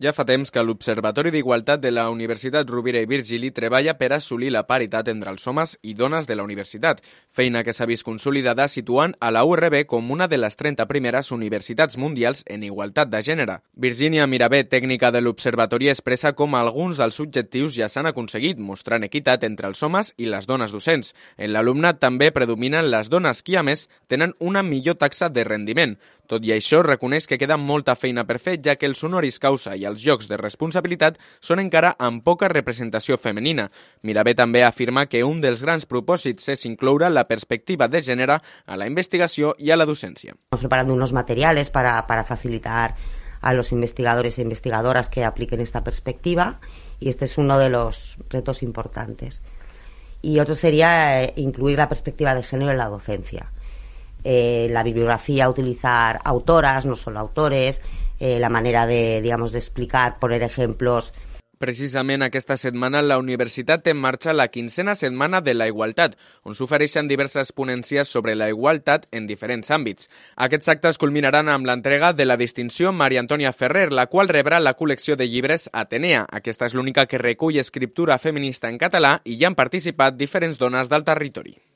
Ja fa temps que l'Observatori d'Igualtat de la Universitat Rovira i Virgili treballa per assolir la paritat entre els homes i dones de la universitat, feina que s'ha vist consolidada situant a la URB com una de les 30 primeres universitats mundials en igualtat de gènere. Virginia Mirabé, tècnica de l'Observatori, expressa com alguns dels objectius ja s'han aconseguit, mostrant equitat entre els homes i les dones docents. En l'alumnat també predominen les dones qui, a més, tenen una millor taxa de rendiment. Tot i això, reconeix que queda molta feina per fer, ja que els honoris causa i els jocs de responsabilitat són encara amb poca representació femenina. Mirabé també afirma que un dels grans propòsits és incloure la perspectiva de gènere a la investigació i a la docència. Estamos preparando unos materiales para facilitar a los investigadores e investigadoras que apliquen esta perspectiva, y este es uno de los retos importantes. Y otro sería incluir la perspectiva de género en la docencia. La bibliografía, utilizar autoras, no solo autores, la manera de explicar, poner ejemplos. Precisament aquesta setmana la universitat té en marxa la 15a Setmana de la Igualtat, on s'ofereixen diverses ponències sobre la igualtat en diferents àmbits. Aquests actes culminaran amb l'entrega de la distinció Maria Antònia Ferrer, la qual rebrà la col·lecció de llibres Atenea. Aquesta és l'única que recull escriptura feminista en català i hi han participat diferents dones del territori.